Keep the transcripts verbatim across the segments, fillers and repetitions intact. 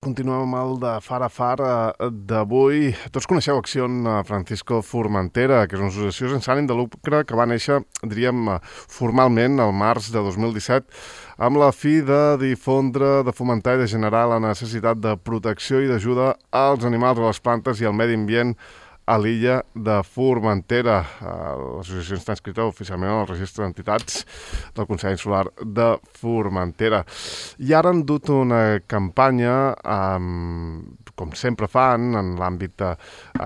Continuem amb el de Far a Far d'avui. Tots coneixeu Acció Francisco Formentera, que és una associació sense ànim de lucre que va néixer, diríem, formalment el març de dos mil disset, amb la fi de difondre, de fomentar i de generar la necessitat de protecció i d'ajuda als animals, a les plantes i al medi ambient a l'illa de Formentera. L'associació està inscrita oficialment al registre d'entitats del Consell Insular de Formentera. I ara han dut una campanya, eh, com sempre fan, en l'àmbit de,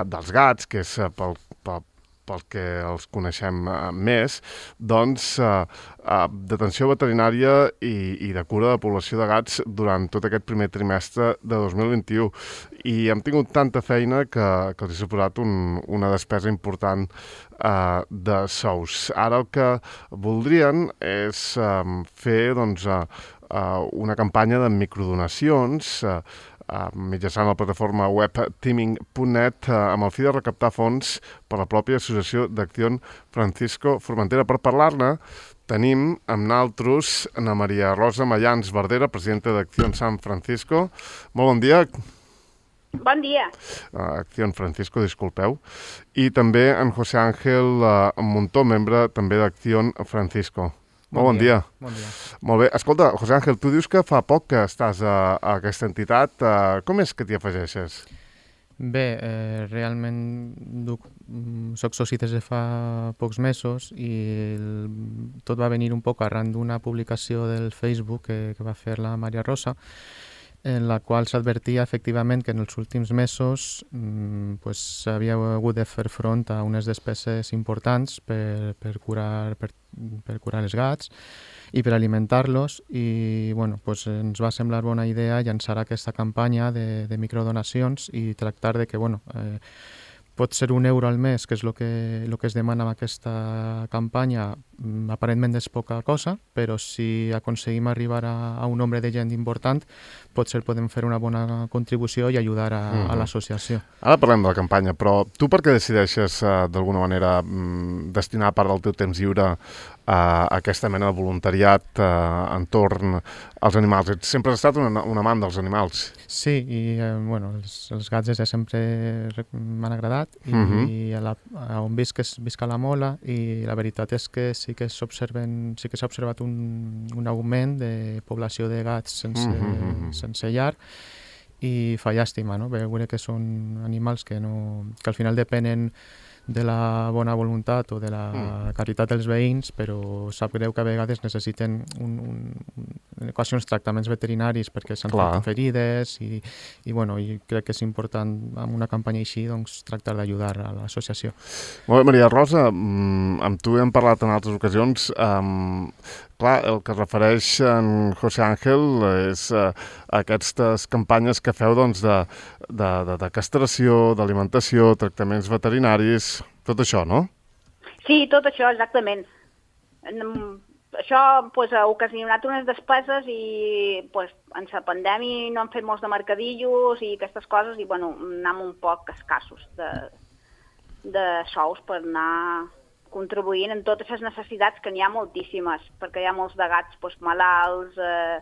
dels gats, que és pel, pel, pel que els coneixem eh, més, doncs eh, eh, d'atenció veterinària i, i de cura de població de gats durant tot aquest primer trimestre de dos mil vint-i-u. I hem tingut tanta feina que, que els ha suposat un, una despesa important eh, de sous. Ara el que voldrien és eh, fer doncs, eh, una campanya de microdonacions eh, Uh, mitjançant la plataforma web teaming punt net uh, amb el fi de recaptar fons per la pròpia Associació d'Acció Francisco Formentera. Per parlar-ne tenim amb naltros Ana Maria Rosa Mayans Verdera, presidenta d'Acció San Francisco. Molt bon dia. Bon dia. Uh, Acció Francisco, disculpeu. I també en José Ángel uh, Montó, membre també d'Acció Francisco. Molt bon dia. Bon dia. Molt bé. Escolta, José Ángel, tu dius que fa poc que estàs a, a aquesta entitat. Uh, com és que t'hi afegeixes? Bé, eh, realment duc, soc soci des de fa pocs mesos i el, tot va venir un poc arran d'una publicació del Facebook que, que va fer la Maria Rosa, en la qual s'advertia efectivament que en els últims mesos mm, pues, s'havia hagut de fer front a unes despeses importants per, per, curar, per, per curar els gats i per alimentar-los i bueno, pues, ens va semblar bona idea llançar aquesta campanya de, de microdonacions i tractar de que bueno, eh, pot ser un euro al mes, que és el que, el que es demana amb aquesta campanya, aparentment és poca cosa, però si aconseguim arribar a, a un nombre de gent important, potser podem fer una bona contribució i ajudar a, uh-huh. a l'associació. Ara parlem de la campanya, però tu per què decideixes uh, d'alguna manera mm, destinar part del teu temps lliure a aquesta mena de voluntariat uh, entorn als animals? Ets sempre has estat un, un amant dels animals. Sí, i eh, bueno, els, els gats des de sempre m'han agradat i, uh-huh. i a, la, a on visc és visc a la Mola i la veritat és que sí que s'observen, sí que s'ha observat un, un augment de població de gats sense, uh-huh. sense llar i fa llàstima, no? Veure que són animals que, no, que al final depenen de la bona voluntat o de la mm. caritat dels veïns, però sap greu que a vegades necessiten un, un, en ocasions tractaments veterinaris perquè s'han fet ferides i, i, bueno, i crec que és important amb una campanya així doncs, tractar d'ajudar a l'associació. Molt bé, Maria Rosa, amb tu hem parlat en altres ocasions. Um, clar, el que es refereix en José Ángel és uh, aquestes campanyes que feu doncs, de, de, de, de castració, d'alimentació, tractaments veterinaris, tot això, no? Sí, tot això, exactament. Això pues, ha ocasionat unes despeses i pues, en la pandèmia no han fet molts de mercadillos i aquestes coses i bueno, anem un poc escassos de, de sous per anar contribuint en totes les necessitats, que n'hi ha moltíssimes, perquè hi ha molts de gats pues, malalts, eh,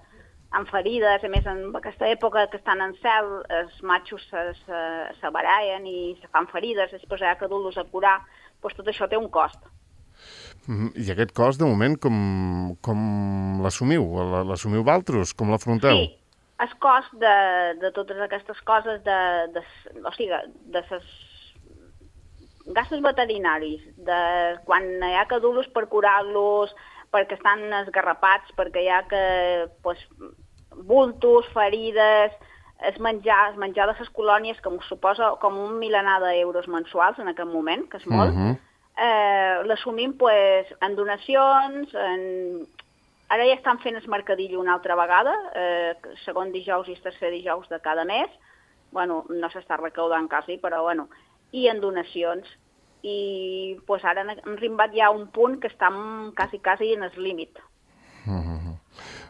amb ferides, a més en aquesta època que estan en cel, els matxos se, se, se barallen i se fan ferides, després hi ha que dur-los a curar, pues, tot això té un cost. I aquest cost, de moment, com, com l'assumiu? L'assumiu vosaltres? Com l'afronteu? Sí, el cost de, de totes aquestes coses, de, de, o sigui, de les gastos veterinaris, de quan hi ha que dur-los per curar-los, perquè estan esgarrapats, perquè hi ha que, pues, bultos, ferides, es menjar, es menjar de les colònies, que m'ho suposa com un milenar d'euros mensuals en aquest moment, que és molt, uh-huh. eh, l'assumim pues, en donacions, en... ara ja estan fent el mercadillo una altra vegada, eh, segon dijous i tercer dijous de cada mes, bueno, no s'està recaudant quasi, però bueno, i en donacions. I pues, ara hem arribat ja a un punt que estem quasi, quasi en el límit. Uh-huh.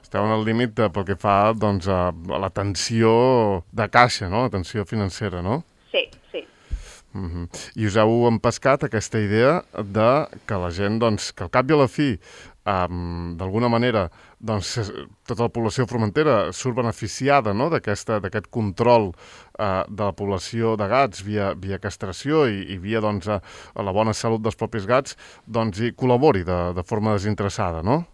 Esteu en el límit pel que fa doncs, a, a la tensió de caixa, no? La tensió financera, no? Sí, sí. Uh-huh. I us heu empescat aquesta idea de que la gent, doncs, que al cap i a la fi um, d'alguna manera, doncs, tota la població de Formentera surt beneficiada, no?, d'aquest control uh, de la població de gats via, via castració i, i via doncs, a, a la bona salut dels propis gats, doncs hi col·labori de, de forma desinteressada, no?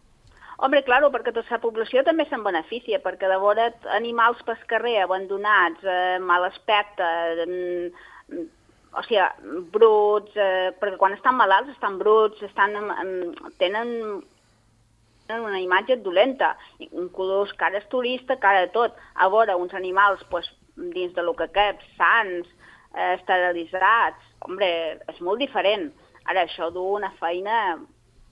Home, claro, perquè tota la població també se'n beneficia, perquè de veure animals pel carrer abandonats, eh, mal aspecte, eh, o sigui, bruts, eh, perquè quan estan malalts estan bruts, estan, eh, tenen, tenen una imatge dolenta, inclús cara turista, cara de tot. A veure, uns animals pues, dins de lo que cap, sans, eh, esterilitzats, home, és molt diferent. Ara, això du una feina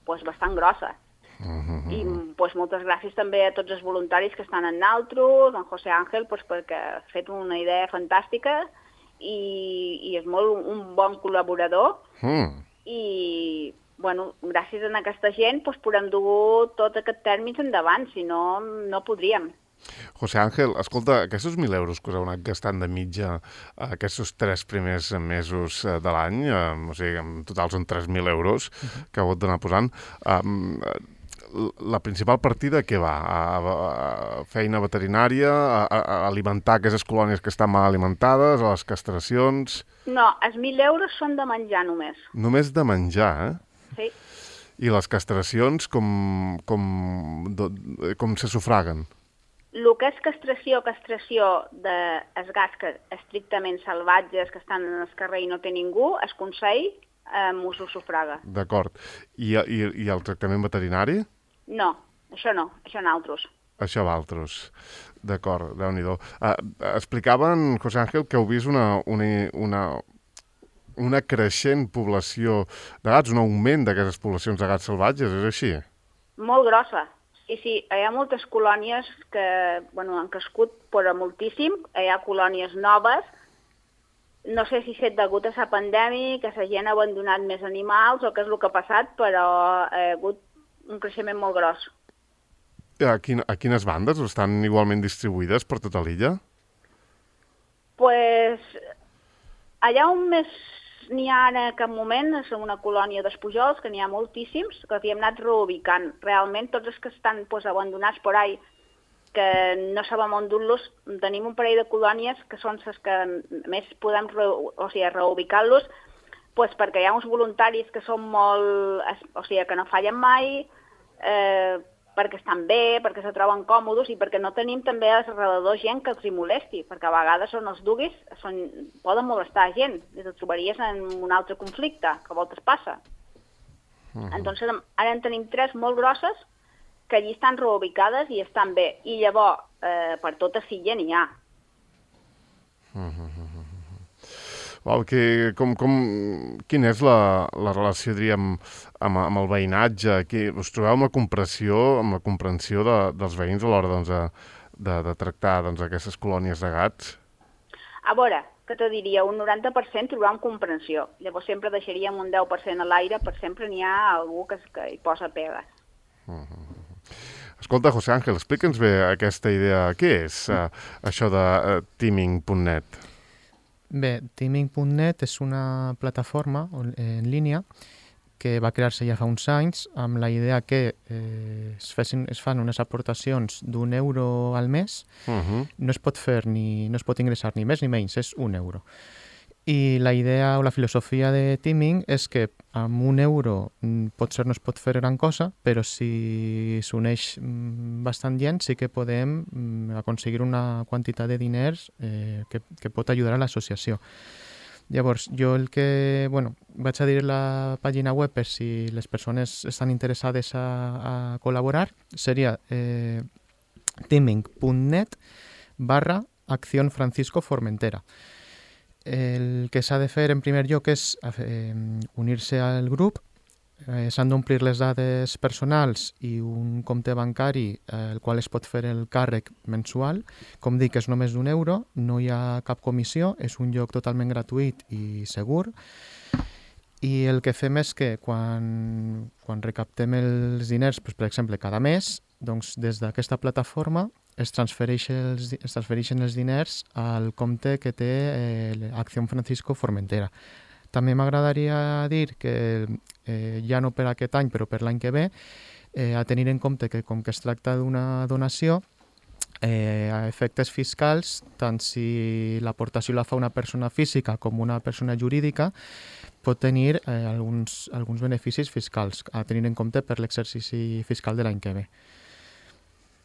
pues, bastant grossa. Uh-huh. I pues, moltes gràcies també a tots els voluntaris que estan en naltros, en José Ángel, pues, perquè ha fet una idea fantàstica i, i és molt un bon col·laborador. Mm. I, bueno, gràcies a aquesta gent pues, podem dur tot aquest tèrmins endavant, si no, no podríem. José Ángel, escolta, aquests mil euros que us heu anat gastant de mitja aquests tres primers mesos de l'any, eh, o sigui, en total són tres mil euros uh-huh. que heu d'anar posant, eh, la principal partida què va? A, a, a feina veterinària, a, a alimentar aquestes colònies que estan mal alimentades, a les castracions... No, els mil euros són de menjar només. Només de menjar, eh? Sí. I les castracions com, com, com se sufraguen? El que és castració, castració dels gats que estrictament salvatges que estan en el carrer i no té ningú, es consell eh, m'ho sufraga. D'acord. I, i, I el tractament veterinari? No, això no, això n'altros. Això d'altres. D'acord, Déu-n'hi-do. Uh, explicaven, José Ángel, que heu vist una, una, una, una creixent població de gats, un augment d'aquestes poblacions de gats salvatges, és així? Molt grossa. Sí, sí, hi ha moltes colònies que bueno, han crescut però moltíssim, hi ha colònies noves, no sé si és degut a la pandèmia, que la gent ha abandonat més animals o què és el que ha passat, però hi ha hagut un creixement molt gros. A, quin, a quines bandes estan igualment distribuïdes per tota l'illa? Pues, allà on més n'hi ha en aquest moment és una colònia d'espujols, que n'hi ha moltíssims, que havíem anat reubicant. Realment, tots els que estan pues, abandonats per ahí, que no sabem on dur-los, tenim un parell de colònies que són les que més podem re, o sigui, reubicar-los, pues, perquè hi ha uns voluntaris que són molt... o sigui, que no fallen mai, eh, perquè estan bé, perquè se troben còmodes i perquè no tenim també a l'alrededor gent que els hi molesti, perquè a vegades on els duguis són, poden molestar gent i et trobaries en un altre conflicte, que a voltes passa. Uh-huh. Entonces, ara en tenim tres molt grosses que allí estan reubicades i estan bé. I llavors, eh, per tota silla n'hi ha. Uh-huh. Wow, que, com, com, quina és la, la relació, diríem, amb, amb el veïnatge? Que us trobeu amb la comprensió, amb la comprensió de, dels veïns a l'hora doncs, de, de tractar doncs, aquestes colònies de gats? A veure, que te diria, un noranta per cent trobam comprensió. Llavors sempre deixaríem un deu per cent a l'aire, per sempre n'hi ha algú que, que hi posa pegues. Uh-huh. Escolta, José Ángel, explica'ns bé aquesta idea. Què és uh, això de uh, teaming punt net? Bé, teaming punt net és una plataforma en línia que va crear-se ja fa uns anys amb la idea que eh, es, fessin, es fan unes aportacions d'un euro al mes. Uh-huh. No es pot fer ni, no es pot ingressar ni més ni menys, és un euro. I la idea o la filosofia de teaming és que amb un euro potser no es pot fer gran cosa, però si s'uneix bastant gent sí que podem aconseguir una quantitat de diners eh, que, que pot ajudar a l'associació. Llavors, jo el que... Bueno, vaig a dir la pàgina web per si les persones estan interessades a, a col·laborar. Seria eh, teaming punt net barra Acción Francisco Formentera. El que s'ha de fer en primer lloc és eh, unir-se al grup, eh, s'han d'omplir les dades personals i un compte bancari eh, el qual es pot fer el càrrec mensual. Com dic, és només d'un euro, no hi ha cap comissió, és un lloc totalment gratuït i segur. I el que fem és que quan, quan recaptem els diners, doncs, per exemple, cada mes, doncs, des d'aquesta plataforma es, transfereix els, es transfereixen els diners al compte que té eh, Acción Francisco Formentera. També m'agradaria dir que, eh, ja no per aquest any, però per l'any que ve, eh, a tenir en compte que com que es tracta d'una donació, eh, a efectes fiscals, tant si l'aportació la fa una persona física com una persona jurídica, pot tenir eh, alguns, alguns beneficis fiscals a tenir en compte per l'exercici fiscal de l'any que ve.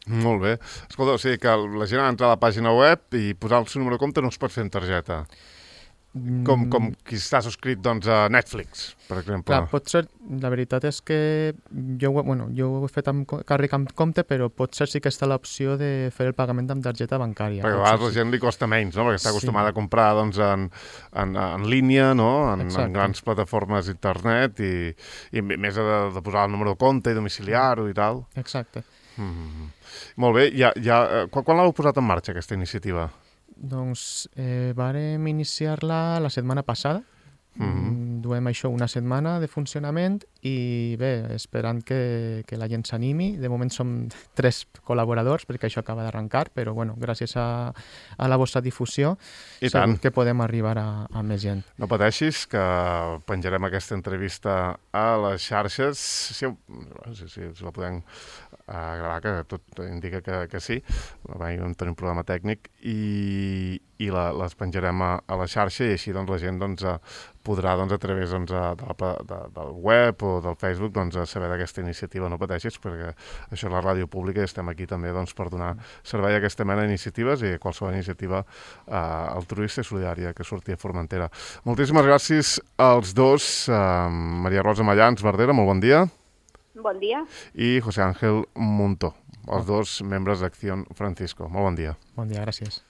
Molt bé. Escolta, o sigui que la gent ha d'entrar a la pàgina web i posar el seu número de compte no es pot fer en targeta. Com, com qui està subscrit doncs, a Netflix, per exemple. Clar, pot ser, la veritat és que jo, bueno, jo ho he fet amb càrrec amb compte, però potser sí que està l'opció de fer el pagament amb targeta bancària. Perquè a vegades la gent li costa menys, no? Perquè està acostumada sí. a comprar doncs, en, en, en línia, no? en, en grans plataformes d'internet i, i més de, de posar el número de compte i domiciliar-ho i tal. Exacte. Mm-hmm. Molt bé. Ja, ja, quan quan l'heu posat en marxa, aquesta iniciativa? Doncs eh, vàrem iniciar-la la setmana passada. Mm-hmm. Duem això una setmana de funcionament i bé, esperant que, que la gent s'animi. De moment som tres col·laboradors perquè això acaba d'arrencar, però bueno, gràcies a, a la vostra difusió I segur tant. que podem arribar a, a més gent. No pateixis, que penjarem aquesta entrevista a les xarxes. Si, si, si, si la podem uh, gravar, que tot indica que, que sí. Va tenir un problema tècnic i, i la, les penjarem a, a la xarxa i així doncs, la gent doncs, podrà doncs, a través doncs, de la, de, del web o del Facebook doncs, saber d'aquesta iniciativa. No pateixis, perquè això és la ràdio pública i estem aquí també doncs, per donar servei a aquesta mena d'iniciatives i a qualsevol iniciativa eh, altruista i solidària que surti a Formentera. Moltíssimes gràcies als dos, eh, Maria Rosa Mallans Verdera, molt bon dia. Bon dia. I José Ángel Muntó, els dos membres d'Acción Francisco. Molt bon dia. Bon dia, gràcies.